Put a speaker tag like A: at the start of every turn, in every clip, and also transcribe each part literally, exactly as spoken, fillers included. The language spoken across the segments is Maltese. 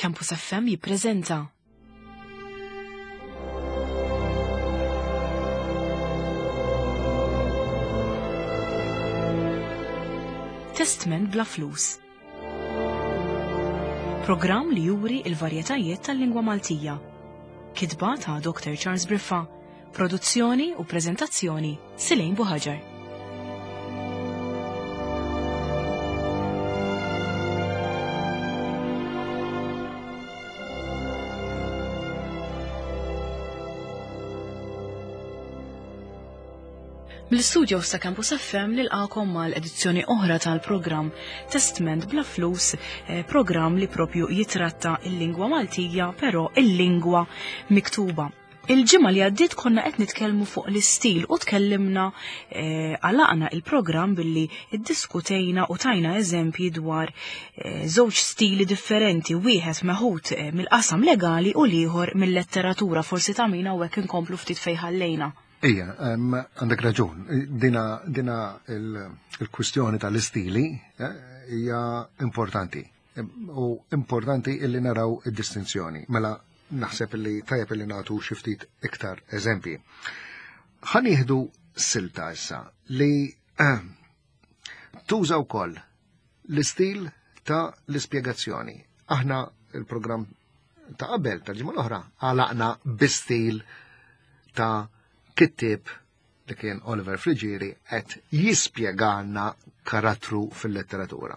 A: Campus F M jippreżenta Testment bla flus. Programm li juri il-varjetajiet tal-lingwa Maltija. Kitba ta' Doctor Charles Briffa. Produzzjoni u preżentazzjoni Silejn Buħaġar. Mill-studio sa' Campus F M nilqakom mal-edizzjoni oħra tal-programm Testment bla flus, eh, programm li propju jitratta il-lingwa Maltija, però il-lingwa miktuba. Il-ġimgħa li għaddiet konna qed nitkellmu fuq l-istil u tkellimna, eh, għalaqna il-programm billi iddiskutejna u tajna eżempji dwar, eh, żewġ stili differenti, wieħed meħud, eh, mill-qasam legali u l-ieħor mill-letteratura. Forsi ta' min hawnhekk inkomplu ftit fejn ħallejna.
B: Ija, em, għandek raġun. Dina, dina il-, il-kwistjoni tal-istili, eh, hija importanti. U importanti illi naraw id-distinzjoni. Mela naħseb illi tajjeb illi nagħtu xi ftit iktar eżempji. Ħa nieħdu silta issa li, eh, tuża wkoll l-istil ta' l-ispjegazzjoni. Aħna il-programm ta' qabel tal-ġimgħa l-oħra għalaqna bi-stil ta' kittieb li kien Oliver Friggieri qed jispjegana karattru fil-letteratura.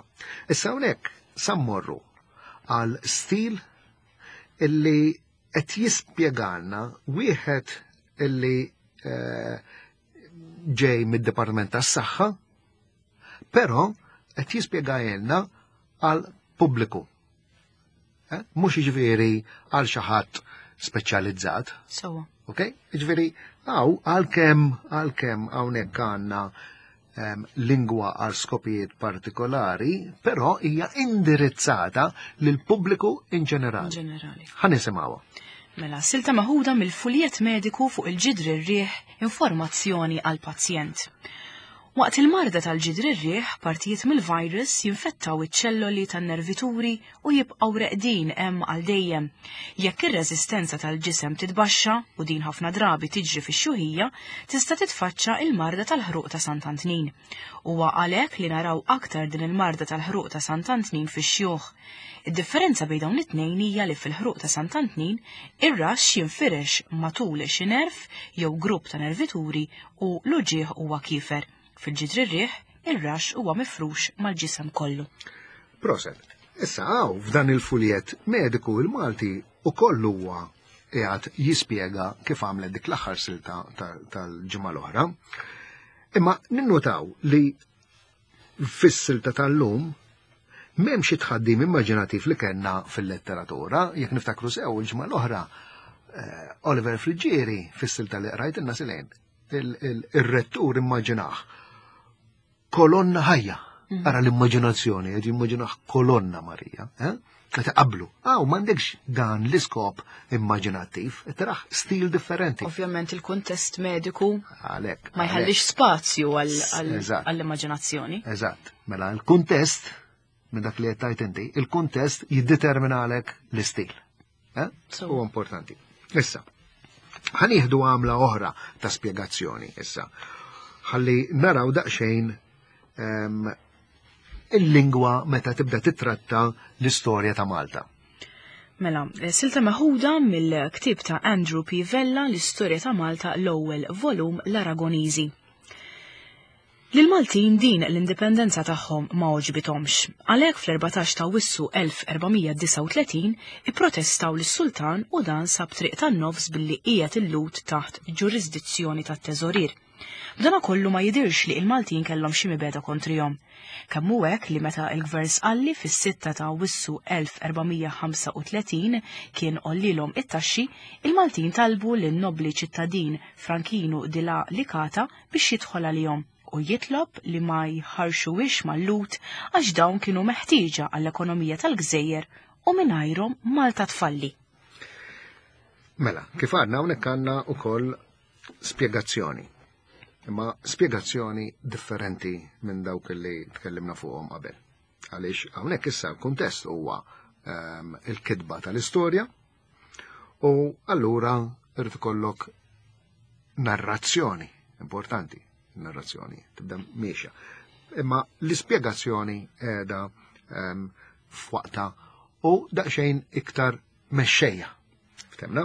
B: Issa hawnhekk sammorru għal stil illi qed jispjegana wieħed illi, eh, ġej mid-Dipartiment tas-Saħħa, però qed jispjegajlna għal pubbliku. Eh? Mhux jiġifieri għal xi ħadd speċjalizzat.
A: Sewwa.
B: Ok? Jiġifieri hawn għalkemm, għalkemm hawnhekk għandna, ehm, lingwa għal skopijiet partikolari, però hija indirizzata lil pubbliku in ġenerali.
A: In ġenerali.
B: Ħa nisimgħuha.
A: Mela, silta maħuda mill-fuljet mediku fuq il-ġidri r-riħ, informazzjoni għal pazjent. Waqt il-marda tal-ġidri r-riħ, partijiet mill-virus jinfettaw iċ-ċelloli tan-nervituri u jibqgħu reqdin hemm għal dejjem. Jekk ir-reżistenza tal-ġisem titbaxxa, u din ħafna drabi tiġri fix-xjuħija, tista' titfaċċa il-marda tal-ħruq ta' Sant'Antnin. Huwa għalhekk li naraw aktar din il-marda tal-ħruq ta' Sant'Antnin fix-xjuħ. Id-differenza bejn dawn it-tnejn hija li fil-ħruq ta' Sant'Antnin ir-raxx jinfirex matul xi nerv jew grupp ta' nervituri u l-uġigħ huwa kiefer. Fil-ġidri r-riħ, ir-raxx huwa mifrux mal-ġisem kollu.
B: Proset, issa hawn f'dan il-fuljet mediku il-Malti u kollu huwa qiegħed jispjega kif għamlet dik l-aħħar silta ta-, tal-ġimgħa l-oħra. Imma ninnutaw li fis-silta tal-lum m'hemmx xi tħaddim immaġinattiv li kellna fil-letteratura, jekk niftakru sew il-ġimgħa l-oħra, eh, Oliver Friggieri fis-silta li qrajt ilna silejn, il-, il-, ir-rettur immaġinah kolonna ħajja.
A: Mhm.
B: Ara l-immaġinazzjoni, qed jimmaġinah kolonna Marija, eh? Qed iqabblu. Aw, m'għandekx dan l-iskop immaġinattiv, qed taraħ stil differenti.
A: Ovvjament il-kuntest mediku
B: Għalhekk,
A: ma jħallix
B: għalhekk.
A: spazju għal-, għal-,
B: Eżatt.
A: għall-immaġinazzjoni.
B: Eżatt. Mela l-kuntest, minn dak li qed tgħid inti, il-kuntest jiddeterminalek l-istil. Eh?
A: So.
B: Huwa importanti. Issa, ħanieħdu għamla oħra ta' spjegazzjoni issa. Ħalli naraw daqsxejn, ehm, il-lingwa meta tibda titratta l-istorja ta' Malta.
A: Mela, silta meħuda mill-ktieb ta' Andrew P. Vella, l-istorja ta' Malta, l-ewwel volum l-Aragoniżi. Lil-Maltin din l-indipendenza tagħhom ma għoġbithomx. Għalhekk fl-erbatax ta' Awwissu elf erbamija disgħa u tletin ipprotestaw lis-sultan u dan sab triq tan-nofs billi qiegħed il-Lhud taħt ġurisdizzjoni tat-teżorier. B'dana kollu ma jidirx li il-Maltin kellhom xi mibegħda kontrihom. Kemm hu hekk li meta l-gvern sqalli fis-sitta ta' Awwissu elf erbamija ħamsa u tletin kien għollilhom it-taxxi, il-Maltin talbu lin-nobli ċittadin Frankinu di la Licata biex jidħol għalihom u jitlob li ma jħarxuwix mal-Lhud għax dawn kienu meħtieġa għall-ekonomija tal-gżejjer u mingħajrhom Malta tfalli.
B: Mela, kif għadna hawnhekk għandna wkoll spjegazzjoni. Imma spjegazzjoni differenti minn dawk li tkellimna fuqhom qabel. Għaliex hawnhekk issa l-kuntest huwa ehm, il-kitba tal-istorja u allura irid ikollok narrazzjoni importanti, narrazzjoni tibda miexja. Imma l-ispjegazzjoni qiegħda ehm, f'waqta u daqsxejn iktar mexxejja. Ftemna?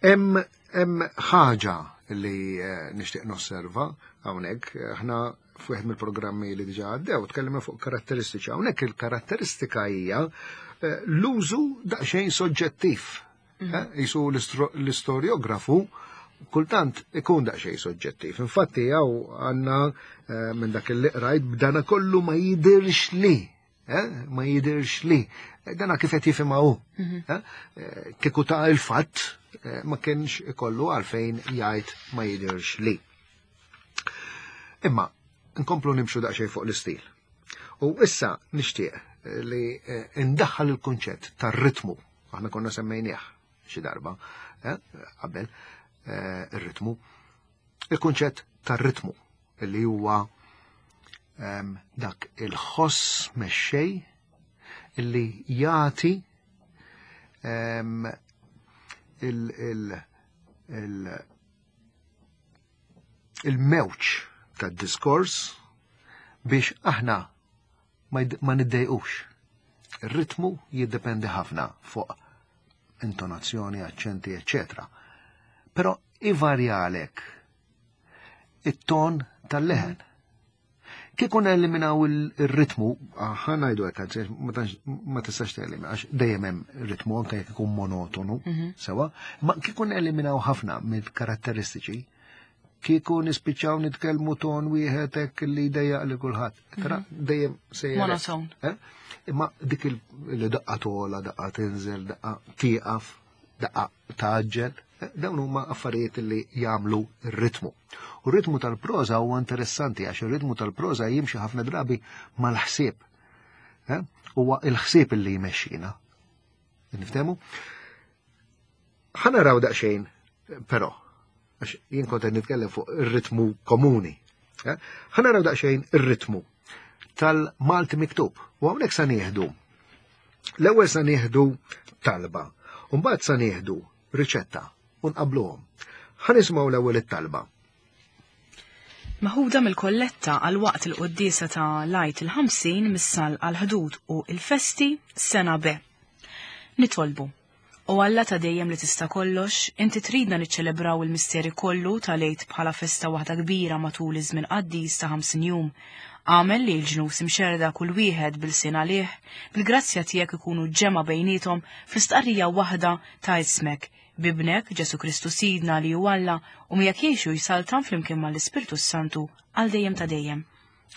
B: Hemm hemm ħaġa li eh, nixtieq nosserva hawnhekk, aħna f'wieħed mill-programmi li diġà għaddew tkellimna fuq karatteristiċi. Hawnhekk il-karatteristika hija eh, l-użu daqsxejn soġġettiv. Eh, Jisu l-istoriografu kultant ikun daqsxejn soġġettiv. Infatti hawn għandna eh, minn dak li qrajt b'dana kollu ma jidirx li. Eh, ma jidirx li. Dana kif qed jifhimha hu. Eh, Kieku ta' il-fatt eh, ma kienx ikollu għalfejn jgħid ma jidirx li. Imma nkomplu nimxu daqsxejn fuq l-istil. U issa nixtieq li eh, indaħħal il-kunċett tar-ritmu. Aħna konna semmejnieh xi darba eh, qabel eh, ir-ritmu. Il-kunċett tar-ritmu li huwa em, dak il-ħoss mexxej illi jagħti em, il- il- il- il-mewġ tad-diskors biex aħna ma jd- ma niddejqux. Ir-ritmu jiddependi ħafna fuq intonazzjoni, aċċenti, eccetera. Però ivarjalek it-ton tal-leħen. Kieku neliminaw il-ritmu, ħa ngħidu hekk, anzi, ma tantx- ma tistax telimina, għax dejjem hemm ritmu anke jekk ikun monotonu, sewa, ma kieku neliminaw ħafna mill-karatteristiċi, kieku nispiċċaw nitkellmu ton wieħed hekk li jdejjaq li kulħadd. Tara dejjem sejjer.
A: Monoton.
B: Eh? Imma dik il- li daqqa tola, daqqa tinżel, daqqa tieqaf, daqqa taġġel, eh, dawn huma affarijiet li jagħmlu r-ritmu. U r-ritmu tal-proża huwa interessanti għax ir-ritmu tal-proża jimxi ħafna drabi mal-ħsieb. Eh? Huwa il-ħsieb li jmexxina. Niftehmu? Ħa naraw daqsxejn, però, għax jien kont qed nitkellem fuq ir-ritmu komuni. Eh? Ħa naraw daqsxejn ir-ritmu tal-Malti miktub. U hawnhekk sa nieħdu. L-ewwel sa nieħdu talba, u mbagħad sa nieħdu riċetta u nqabluhom. Ħa nisimgħu l-ewwel it-talba.
A: Maħuda mill-kolletta għal waqt il-quddiesa ta' l-Għid il-ħamsin missal għal ħdud u il-festi sena B. Nitolbu. O Alla ta' dejjem li tista' kollox, inti tridna niċċelebraw il-misteri kollu tal-Għid bħala festa waħda kbira matul iż-żmien qaddis ta' ħamsin jum. Agħmel li l-ġnus imxerda kull wieħed bil-sin għalih, bil-grazzja tiegħek ikunu ġemgħa bejniethom fl-istqarrija waħda ta' ismek, b'Ibnek Ġesu Kristu Sidna li hu Alla u miegħek jgħixu jsaltan flimkien mal-Ispirtu Santu għal dejjem ta' dejjem.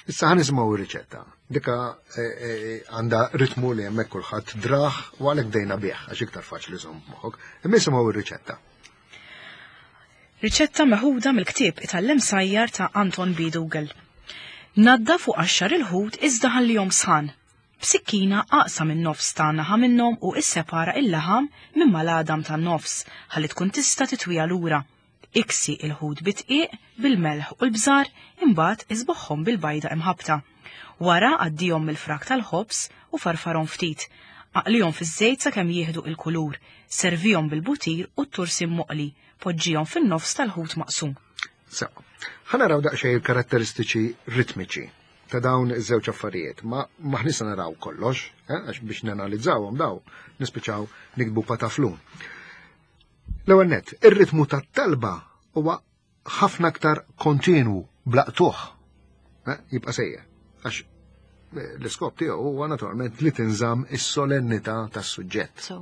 B: Issa ħa nisimgħu ir-riċetta. Dika eh, eh, għandha ritmu li hemmhekk kulħadd drah u għalhekk bdejna bih għax iktar faċli żomm moħħok. Imma nisimgħu ir-riċetta.
A: Riċetta meħuda mill-ktieb Itgħallem Sajjar ta' Anton B. Dougall. Naddaf u qaxxar il-ħut iżda ħallihom sħan. B'sikkina aqsam in-nofs ta' naħa minnhom u issepara il-laħam minn mal-għadam tan-nofs ħalli tkun tista' titwija lura. Iksi il-ħut bid-dqiq, bil-melħ u l-bżar, imbagħad iżbogħhom bil-bajda imħabbta. Wara għaddihom mill-frak tal-ħobż u farfarhom ftit. Aqlihom fiż-żejt sakemm jieħdu il-kulur. Servihom bil-butir u t-tursin moqli. Poġġihom fin-nofs tal-ħut maqsum.
B: So, ħa naraw daqsxejn il-karatteristiċi ritmiċi ta' dawn iż-żewġ affarijiet. Ma maħniex se naraw kollox, eh, għax biex nanalizzawhom daw nispiċċaw niktbu pataflun. L-ewwel nett, ir-ritmu tat-talba huwa ħafna aktar kontinwu bla qtugħ. Eh, jibqa' sejjer. Għax eh, l-iskop tiegħu huwa naturalment li tinżamm is-solennità tas-suġġett.
A: So.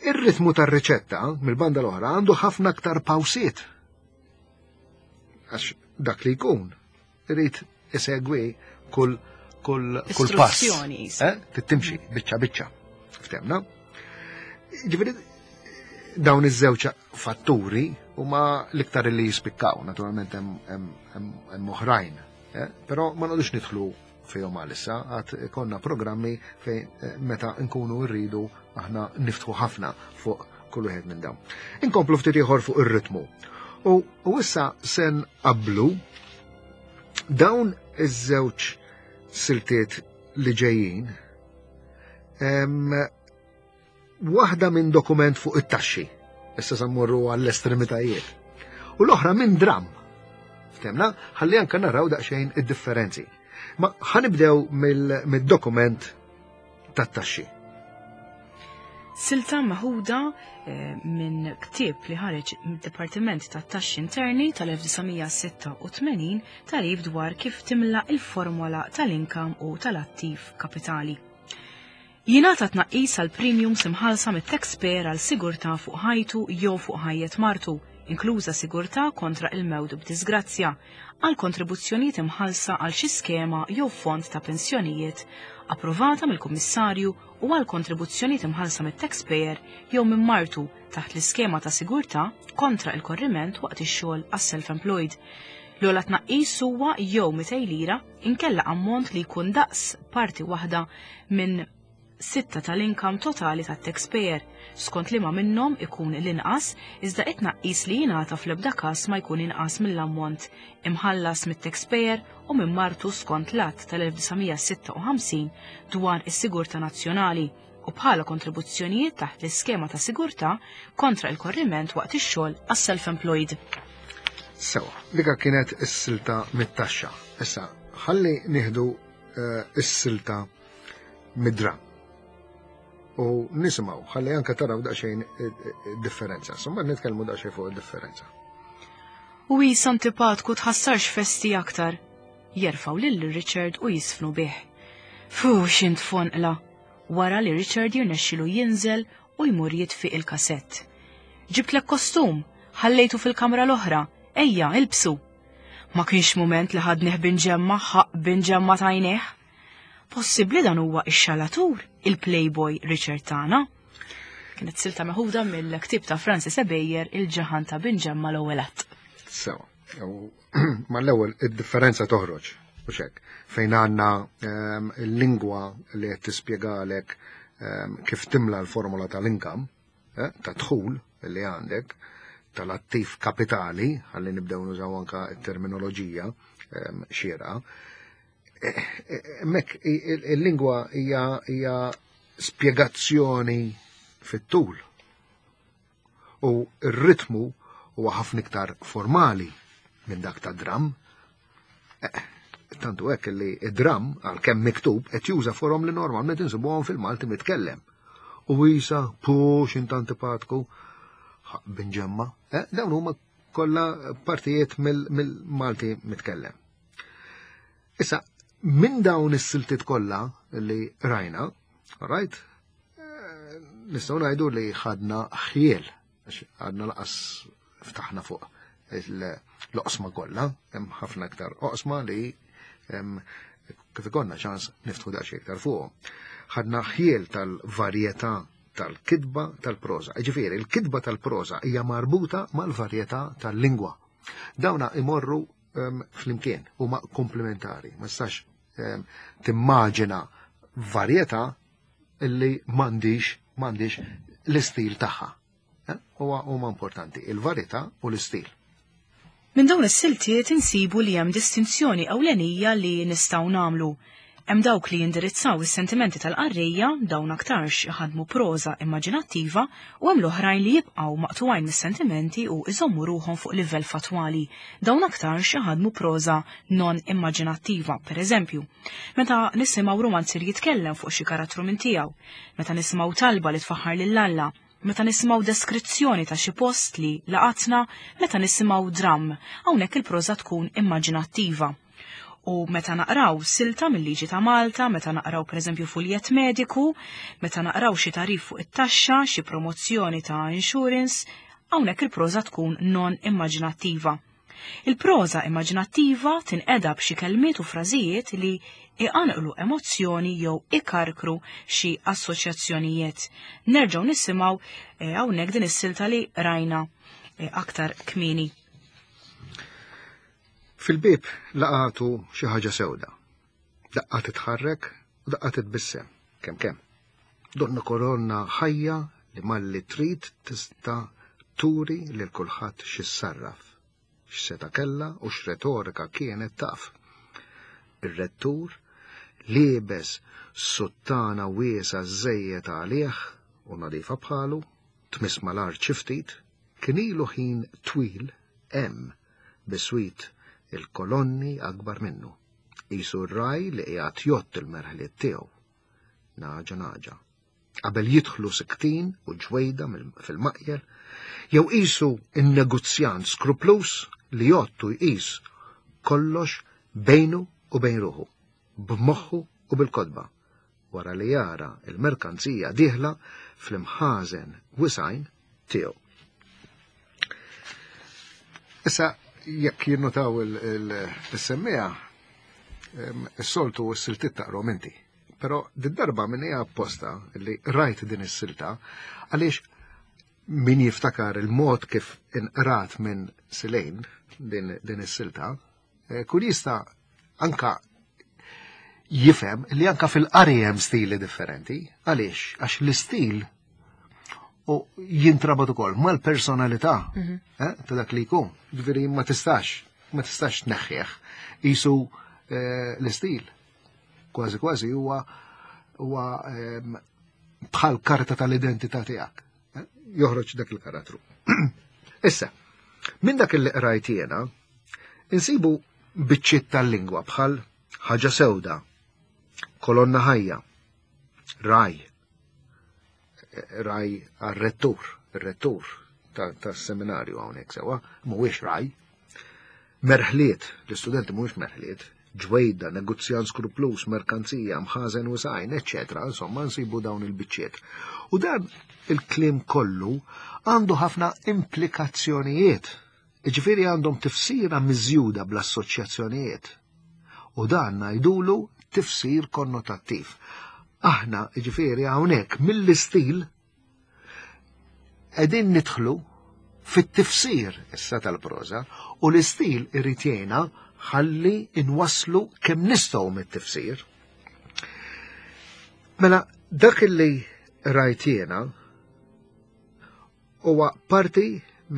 B: Ir-ritmu tar-riċetta mill-banda l-oħra għandu ħafna aktar pawsiet. Għax dak li jkun irid isegwi kull kull kull pass.
A: Istruzzjoni, jisa.
B: Eh? Tittimxi biċċa biċċa. Ftemna? Ġifieri dawn iż-żewġ fatturi huma l-iktar li jispikkaw, naturalment hemm hemm hemm hemm oħrajn. Eh? Però ma noqogħdux nidħlu fihom għalissa, għad konna programmi fejn eh, meta nkunu rridu aħna niftħu ħafna fuq kull wieħed minn dawn. Inkomplu ftit ieħor fuq ir-ritmu. U, u issa se nqablu dawn iż-żewġ siltiet li ġejjin Waħda minn dokument fuq it-taxxi, issa sa mmorru għall-estremitajiet, u l-oħra minn dram. Ftemna, ħalli anka naraw daqsxejn id-differenzi. Ma ħa nibdew mid-dokument tat-taxxi.
A: Silta meħuda eh, minn ktieb li ħareġ mid-Dipartiment tat-Taxxi Interni tal-elf disa' mija sitta u tmenin tagħrif dwar kif timla il-formola tal-inkam u tal-attiv kapitali. Jingħata tnaqqis għal premiums imħallsa mit-taxpayer għal sigurtà fuq ħajtu jew fuq ħajjet martu, inkluża sigurtà kontra il-mewt b'disgrazzja, għal kontribuzzjonijiet imħallsa għal xi skema jew fond ta' pensjonijiet approvata mill-Kummissarju u għal kontribuzzjonijiet imħallsa mit-taxpayer jew minn martu taħt l-iskema ta' sigurtà kontra il-korriment waqt ix-xogħol għas-self-employed. L-ogħla tnaqqis huwa jew mitej lira inkella ammont li jkun daqs parti waħda minn sitta tal-inkam totali tat-taxpayer, skont liema minnhom ikun l-inqas, iżda it-tnaqqis li jingħata fl-ebda każ ma jkun inqas mill-ammont imħallas mit-taxpayer u minn martu skont l-Att tal-elf disa' mija sitta u ħamsin dwar is-Sigurtà Nazzjonali u bħala kontribuzzjonijiet taħt l-iskema ta' sigurtà kontra il-korriment waqt ix-xogħol għas-self-employed.
B: Sewa, dika kienet is-silta mit-taxxa. Issa, ħalli nieħdu, eh, is-silta mid-dram. U nisimgħu, ħalli anke taraw daqsxejn differenza. Insomma, nitkellmu daqsxejn fuq id-differenza.
A: U jis antipatku tħassarx festi aktar. Jerfaw lil Richard u jisfnu bih. Fu, xint fonqla. Wara li Richard jirnexxilu jinżel u jmur jitfi il-kasett. Ġibtlek kostum, ħallejtu fil-kamra l-oħra, ejja, ilbsu. Ma kienx mument li ħadnih binġemma, ħaq binġemma tajnieh. Possibbli dan huwa ix-xalatur, il-Playboy Richard tagħna. Kienet silta meħuda mill-ktieb ta' Francis Ebejer, Il-Ġaħan ta' Binġemma l-ewwel att.
B: Sewa, u mal-ewwel id-differenza toħroġ, u xek, fejn għandna, ehm, il-lingwa li qed tispjegalek, ehm, kif timla l-formula tal-inkam, eh, ta' dħul li għandek, tal-attiv kapitali, ħalli nibdew nużaw anka t-terminoloġija, ehm, xierqa. Hemmhekk il-lingwa hija, hija spjegazzjoni fit-tul. U r-ritmu huwa ħafna iktar formali minn dak ta' dram. Eh, tantu hekk li id-dram għalkemm miktub qed juża forom li normalment insibuhom fil-Malti mitkellem. U isa pux int antipatku binġemma. Eh, dawn huma kollha partijiet mill-, mill-Malti mitkellem. Issa, minn dawn is-siltiet kollha li rajna, right, eh, nistgħu ngħidu li ħadna ħjiel, għax għadna laqas ftaħna fuq l-oqsma kollha, hemm ħafna iktar oqsma li, em, kif ikollna ċans niftħu daqsxejn iktar fuqhom. Ħadna ħjiel tal-varjetà tal-kitba tal-proża. Jiġifieri, il-kitba tal-proża hija marbuta mal-varjetà tal-lingwa. Dawna imorru, em, flimkien, huma komplementari. Ma tistax, em, timmaġina varjetà illi m'għandix, m'għandix l-istil tagħha. Eh? Huwa huma importanti, il-varjetà u l-istil.
A: Minn dawn is-siltiet insibu li hemm distinzjoni ewlenija li nistgħu nagħmlu. Hemm dawk li jindirizzaw is-sentimenti tal-qarrejja, dawn aktarx iħadmu proża immaġinattiva, u hemm l-oħrajn li jibqgħu maqtugħin mis-sentimenti u iżommu ruħhom fuq livell fatwali. Dawn aktarx iħadmu proża non immaġinattiva, per eżempju, meta nisimgħu romanzier jitkellem fuq xi karattru minn tiegħu, meta nisimgħu talba li tfaħħar lil Alla, meta nisimgħu deskrizzjoni ta' xi post li laqatna, meta nisimgħu dram, hawnhekk il-proża tkun immaġinattiva. U meta naqraw silta mill-liġi ta' Malta, meta naqraw pereżempju fuljett mediku, meta naqraw xi tarif fuq it-taxxa, xi promozzjoni ta' insurance, hawnhekk il-proża tkun non immaġinattiva. Il-proża immaġinattiva tinqeda b'xi kelmiet u frażijiet li iqanqlu emozzjoni jew ikarkru xi assoċjazzjonijiet. Nerġgħu nisimgħu, eh, hawnhekk din is-silta li rajna, eh, aktar kmieni.
B: Fil-bib laqatu xi ħaġa sewda. Daqqa titħarrek u daqqa titbissem, kemm kemm. Donna koronna ħajja li malli trid tista' turi lil kulħadd x'issarraf, x'seta' kellha u x'retorika kienet taf. Ir-rettur Liebes suttana wiesa żejjed għalih u nadifa bħalu, tmiss mal-art xi ftit, kien ilu ħin twil hemm biswit il-kolonni akbar minnu. Qisu r-raj li qiegħed jgħodd il-merħliet tiegħu. Naġa naġa. Qabel jidħlu siktin u ġwejda fil-maqjel, jew qisu in-negozjant skruplus li jgħottu jqis kollox bejnu u bejn ruħu, b'moħħu u bil-kodba, wara li jara il-merkanzija dieħla fl-imħażen wisajn tiegħu. Issa, jekk jinnotaw il-semmija, is-soltu s-siltiet taqrom inti. Però did-darba minn hija apposta li rajt din is-silta għaliex min jiftakar il-mod kif inqrat minn Silejn din, din is-silta, kull jista' anka jifhem li anka fil-qari hemm stili differenti. Għaliex? Għax l-istil u jintrabat ukoll mal-personalità eh, ta' dak li jkun. Ġifieri ma tistax, ma tistax tneħħih. Qisu eh, l-istil kważi kważi huwa huwa ehm, bħal karta tal-identità tiegħek. Eh, Joħroġ dak il-karattru. Issa, minn dak li qrajt jiena, insibu biċċiet tal-lingwa bħal ħaġa sewda, kolonna ħajja, raj, raj għar-rettur, ir-rettur tas-seminarju hawnhekk sewwa, mhuwiex raj. Merħliet, l-istudenti mhuwiex merħliet, ġwejda, negozjant skruplus, merkanzija, mħażen u sajn, eċċetera. Insomma, nsibu dawn il-biċċiet. U dan il-kliem kollu għandu ħafna implikazzjonijiet. Ġifieri għandhom tifsira miżjuda bl-assoċjazzjonijiet. U dan ngħidulu tifsir konnotattiv. Aħna, ġifieri, hawnhekk mill-istil qegħdin nidħlu fit-tifsir issa tal-proża u l-istil irid jgħinna ħalli inwasslu kemm nistgħu mit-tifsir. Mela, dak li rajt jiena huwa parti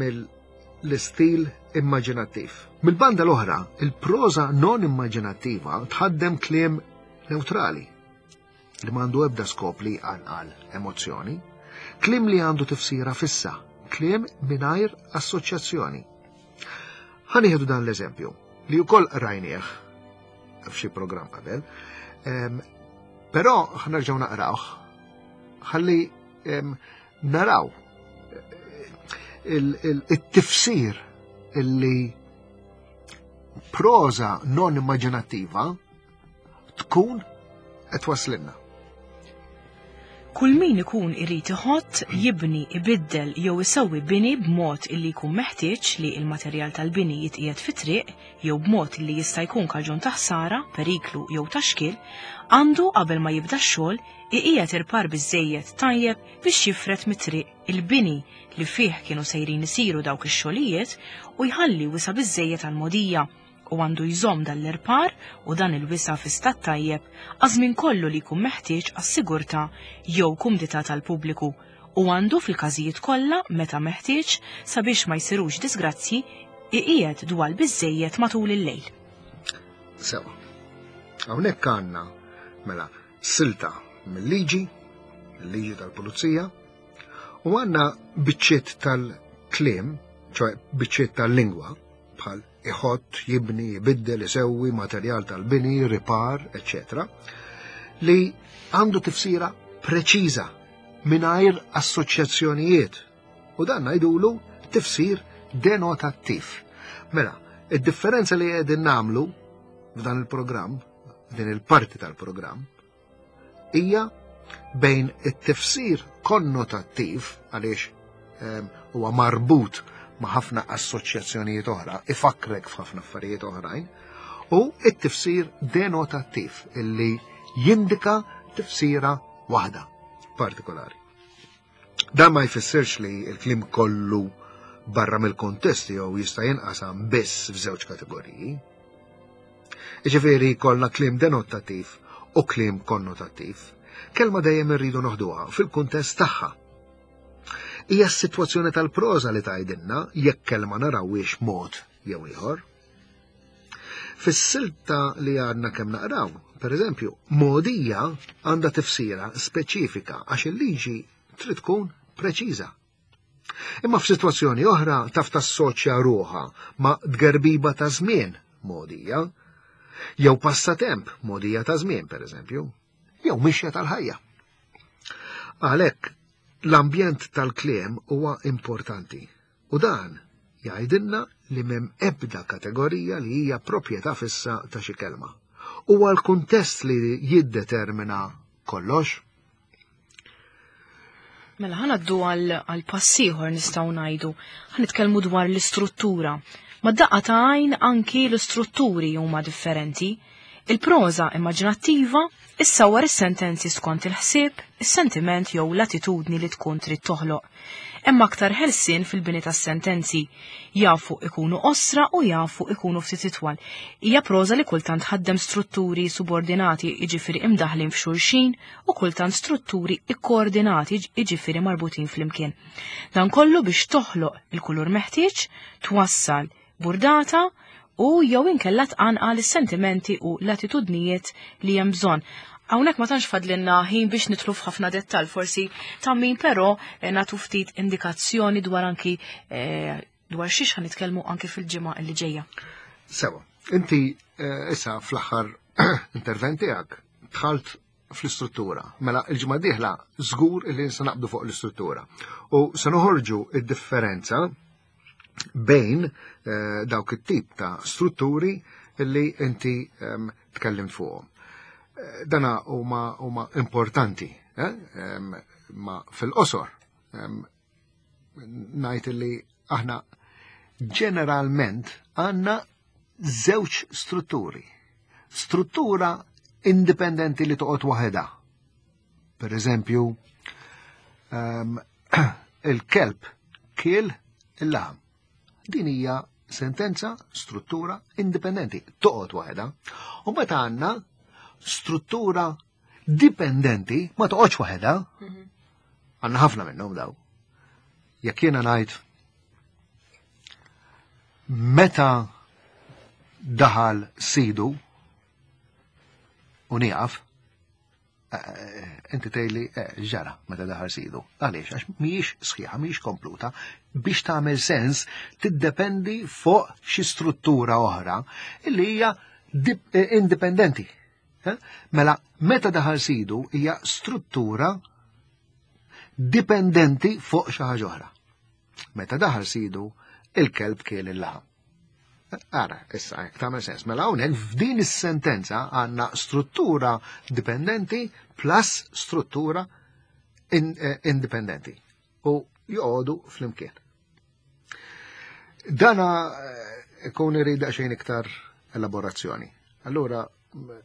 B: mill-istil immaġinattiv. Mill-banda l-oħra, il-proża non immaġinattiva tħaddem kliem neutrali li m'għandu ebda skop li jqanqal emozzjoni, kliem li għandu tifsira fissa, kliem mingħajr assoċjazzjoni. Ħa nieħdu dan l-eżempju li wkoll rajnieh f'xi programm qabel, em, però ħa nerġgħu naqrawh ħalli em, naraw il-tifsir illi proża non immaġinattiva tkun qed waslinna.
A: Kull min ikun irid iħott, jibni, ibiddel jew isewwi bini b'mod illi jkun meħtieġ li il-materjal tal-bini jitqiegħed fit-triq jew b'mod illi jista' jkun kaġun ta' ħsara, periklu jew ta' xkiel, għandu qabel ma jibda x-xogħol iqiegħed irpar biżejjed tajjeb biex jifred mit-triq il-bini li fih kienu sejrin isiru dawk ix-xogħlijiet u jħalli wisa biżejjed għall-mogħdija u għandu jżomm dan l-irpar u dan il-wisa fi stat tajjeb għaż-żmien kollu li jkun meħtieġ għas-sigurtà jew kumdità tal-pubbliku u għandu fil-każijiet kollha meta meħtieġ sabiex ma jsirux disgrazzji iqiegħed dwal biżejjed matul il-lejl.
B: Sewa. Hawnhekk għandna mela silta mill-liġi, il-liġi tal-pulizija, u għandna biċċiet tal-kliem, ċoè biċċiet tal-lingwa, bħal iħott, jibni, jibiddel, isewwi, materjal tal-bini, ripar, eċċetera, li għandu tifsira preċiża mingħajr assoċjazzjonijiet. U dan ngħidulu tifsir denotattiv. Mela, id-differenza li qegħdin nagħmlu f'dan il-programm, din il-parti tal-programm, hija bejn it-tifsir konnotattiv, għaliex ehm, huwa marbut ma' ħafna assoċjazzjonijiet oħra, ifakrek f'ħafna affarijiet oħrajn, u it-tifsir denotattiv illi jindika tifsira waħda partikolari. Dan ma jfissirx li l-kliem kollu barra mill-kontest jew jista' jinqasam biss f'żewġ kategoriji. Jiġifieri kollna kliem denotattiv u kliem konnotattiv. Kelma dejjem irridu noħduha fil-kuntest tagħha. Hija s-sitwazzjoni tal-proża li tgħidilna jekk kelma narawhiex mod jew ieħor. Fis-silta li għadna kemm naqraw, per eżempju, mogħdija għandha tifsira speċifika għax il-liġi trid tkun preċiża. Imma f'sitwazzjoni oħra taf tassoċja ruħha ma' tgerbiba ta' żmien mogħdija, jew passatemp mogħdija ta' żmien, per eżempju, jew mixja tal-ħajja. Għalhekk l-ambjent tal-kliem huwa importanti u dan jgħidilna li m'hemm ebda kategorija li hija proprjetà fissa ta' xi kelma. Huwa l-kuntest li jiddetermina kollox.
A: Mela ħa ngħaddu għal pass ieħor nistgħu ngħidu. Ħa nitkellmu dwar l-istruttura. Ma daqqa ta' għajn anki l-istrutturi huma differenti. Il-proża immaġinattiva issawwar is-sentenzi skont il-ħsieb, is-sentiment jew l-attitudni li tkun trid toħloq. Hemm aktar ħelsien fil-bini tas-sentenzi. Jafu ikunu qosra u jafu ikunu ftit itwal. Hija proża li kultant ħaddem strutturi subordinati, jiġifieri imdaħlin f'xulxin, u kultant strutturi ikkoordinati, jiġifieri marbutin flimkien. Dan kollu biex toħloq il-kulur meħtieġ, twassal burdata u jew inkella tqanqal is-sentimenti u l-attitudnijiet li hemm bżonn. Hawnhekk ma tantx fadlinna ħin biex nidħlu f'ħafna dettall, forsi ta' min però eh, nagħtu ftit indikazzjoni dwar anki eh, dwar xiex ħa nitkellmu anki fil-ġimgħa li ġejja.
B: Sewa, inti eh, issa fl-aħħar intervent tiegħek dħalt fl-istruttura. Mela il-ġimgħa dieħla żgur li se naqbdu fuq l-istruttura. U se noħorġu id-differenza bejn eh, dawk it-tip ta' strutturi li inti ehm, tkellimt fuqhom. Eh, Dana huma huma importanti, eh? Ehm, ma fil-qosor ehm, ngħid li aħna ġeneralment għandna żewġ strutturi. Struttura indipendenti li toqgħod waħedha. Per eżempju, um, il-kelb kiel il-laħam. Din hija sentenza, struttura indipendenti, toqgħod waħedha. U meta għandna struttura dipendenti ma toqgħodx waħedha. Għandna ħafna minnhom daw. Jekk jiena ngħid meta daħal sidu u nieqaf, eh, inti tgħidli eh, ġara meta daħal sidu. Għaliex, għax mhijiex sħiħa, mhijiex kompluta, biex tagħmel sens tiddependi fuq xi struttura oħra illi hija dip- eh, indipendenti. Eh? Mela, meta daħal sidu hija struttura dipendenti fuq xi ħaġa oħra. Meta daħal sidu, il-kelb kiel il-laħam. Ara, issa, jekk tagħmel sens. Mela hawnhekk f'din is-sentenza għandna struttura dipendenti plus struttura in, eh, indipendenti. U joqogħdu flimkien. Dana eh, ikun irid daqsxejn iktar elaborazzjoni. Allura m-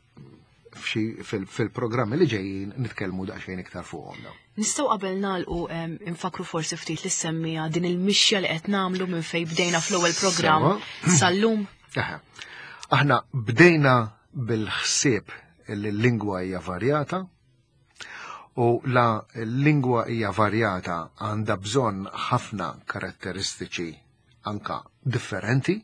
B: f'xi fil- fil-programmi li ġejjin nitkellmu daqsxejn iktar fuqhom dawn.
A: Nistgħu qabel nagħlqu em, infakru forsi ftit li semmija din il-mixja li qed nagħmlu minn fejn bdejna fl-ewwel programm
B: Sewa.
A: sal-lum.
B: Aha. Aħna bdejna bil-ħsieb li l-lingwa hija varjata u la l-lingwa hija varjata għandha bżonn ħafna karatteristiċi anka differenti.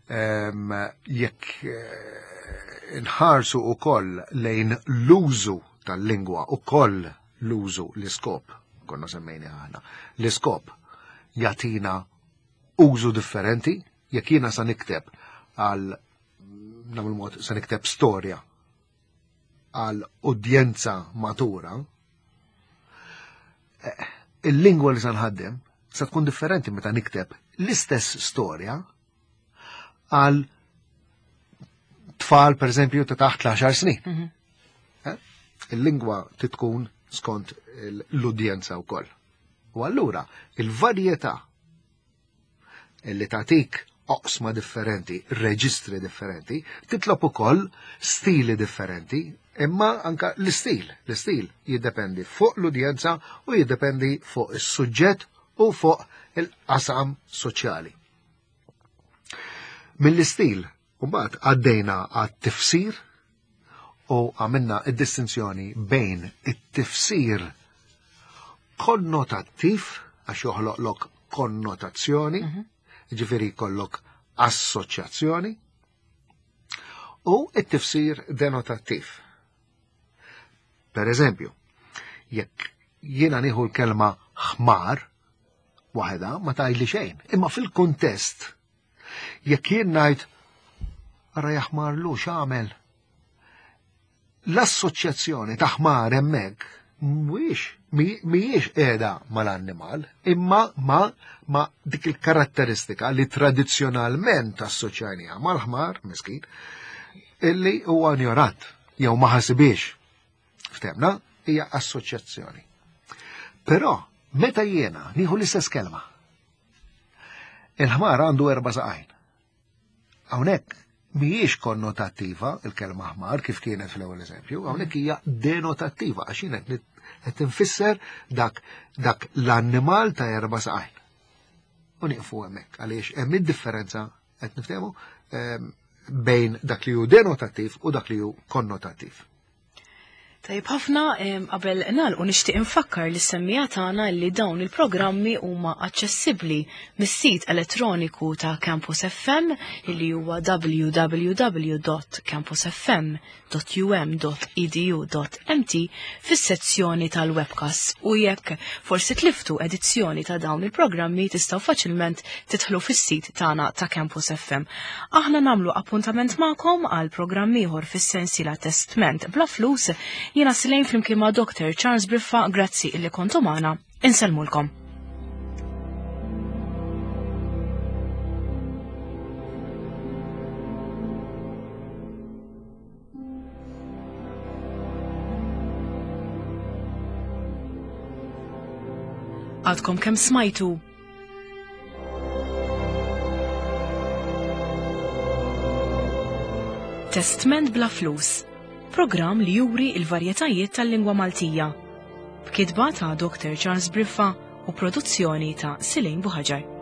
B: Em, Jekk eh, nħarsu ukoll lejn l-użu tal-lingwa ukoll l-użu l-iskop, konna semmejni aħna, l-iskop jagħtina użu differenti, jekk jiena sa nikteb għal nagħmlu mod sa nikteb storja għal udjenza matura, eh, il-lingwa li sa nħaddem sa tkun differenti meta nikteb l-istess storja għal tfal per eżempju ta' taħt l-għaxar snin.
A: Mhm.
B: Eh? Il-lingwa titkun skont l-udjenza wkoll. U allura il-varjetà li tagħtik oqsma differenti, reġistri differenti, titlob ukoll stili differenti, imma anka l-istil, l-istil jiddependi fuq l-udjenza u jiddependi fuq is-suġġett u fuq il-qasam soċjali. Mill-istil, mbagħad għaddejna għat-tifsir u għamilna id-distinzjoni bejn it-tifsir konnotattiv, għax joħloqlok konnotazzjoni,
A: Mhm.
B: ġifieri jkollok assoċjazzjoni, u it-tifsir denotattiv. Per eżempju, jekk jiena nieħu l-kelma ħmar, waħedha ma tgħidli xejn, imma fil-kuntest, jekk jien ngħid ara jaħmar lu x'għamel, l-assoċjazzjoni ta' ħmar hemmhekk mhuwiex mhijiex qiegħda mal-annimal, imma ma ma dik il-karatteristika li tradizzjonalment assoċjajniha mal-ħmar, miskin, illi huwa ignorant jew ma ħasibiex. Ftemna, hija assoċjazzjoni. Però meta jiena nieħu l-istess kelma, il-ħmar għandu erba' saqajn. Hawnhekk mhijiex konnotattiva il-kelma ħmar kif kienet fl-ewwel eżempju, hawnhekk hija denotattiva għax jien qed qed infisser dak dak l-annimal ta' erba' saqajn. U nieqfu hemmhekk għaliex hemm id-differenza qed niftehmu ehm, bejn dak li hu denotattiv u dak li hu konnotattiv.
A: Tajjeb ħafna, em, qabel nagħlqu nixtieq infakkar li semmija tagħna li dawn il-programmi huma aċċessibbli mis-sit elettroniku ta' Campus F M illi huwa w w w dot campus f m dot u m dot e d u dot m t fis-sezzjoni tal-webcast, u jekk forsi tliftu edizzjoni ta' dawn il-programmi tistgħu faċilment tidħlu fis-sit tagħna ta' Campus F M. Aħna nagħmlu appuntament magħkom għal programm ieħor fis-sensiela Testment bla flus. Jiena Silejn flimkien ma' Doctor Charles Briffa, grazzi illi kontu magħna. Insellmulkom. Għadkom kemm smajtu Testment bla flus, programm li juri il-varjetajiet tal-lingwa Maltija, b'kitba ta' Doctor Charles Briffa u produzzjoni ta' Silejn Buhaġar.